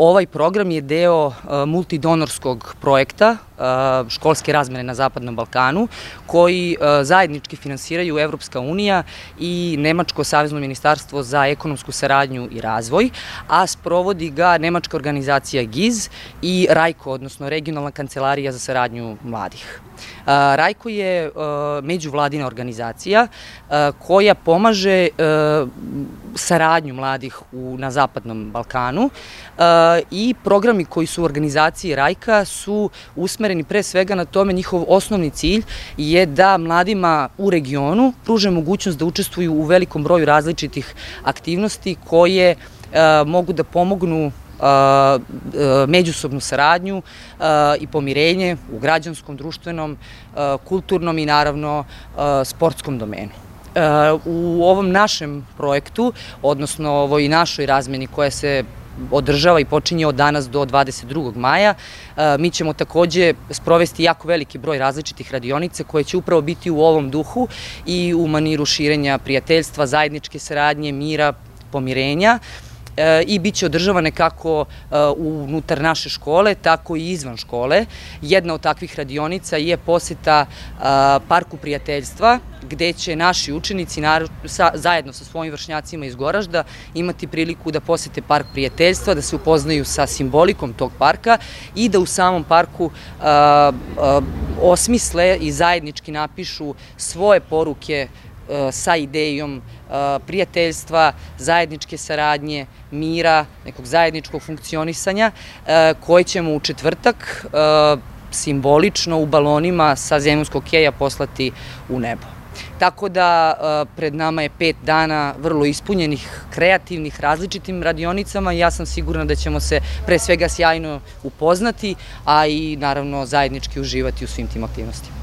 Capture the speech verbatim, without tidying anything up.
Ovaj program je deo multidonorskog projekta školske razmene na Zapadnom Balkanu, koji zajednički finansiraju Evropska unija i Nemačko savezno ministarstvo za ekonomsku saradnju i razvoj, a sprovodi ga nemačka organizacija GIZ i RAJKO, odnosno Regionalna kancelarija za saradnju mladih. RAJKO je međuvladina organizacija koja pomaže saradnju mladih na Zapadnom Balkanu i programi koji su u organizaciji RAJKA su usmereni pre svega na tome. Njihov osnovni cilj je da mladima u regionu pruže mogućnost da učestvuju u velikom broju različitih aktivnosti koje mogu da pomognu međusobnu saradnju i pomirenje u građanskom, društvenom, kulturnom i naravno sportskom domenu. U ovom našem projektu, odnosno ovoj našoj razmeni koja se održava i počinje od danas do dvadeset drugog maja, mi ćemo takođe sprovesti jako veliki broj različitih radionica koje će upravo biti u ovom duhu i u maniru širenja prijateljstva, zajedničke saradnje, mira, pomirenja, i bit će održavane kako unutar naše škole, tako i izvan škole. Jedna od takvih radionica je poseta Parku prijateljstva, gde će naši učenici zajedno sa svojim vršnjacima iz Goražda imati priliku da posete Park prijateljstva, da se upoznaju sa simbolikom tog parka i da u samom parku osmisle i zajednički napišu svoje poruke sa idejom prijateljstva, zajedničke saradnje, mira, nekog zajedničkog funkcionisanja, koje ćemo u četvrtak simbolično u balonima sa zemaljskog keja poslati u nebo. Tako da pred nama je pet dana vrlo ispunjenih, kreativnih, različitim radionicama i ja sam sigurna da ćemo se pre svega sjajno upoznati, a i naravno zajednički uživati u svim tim aktivnostima.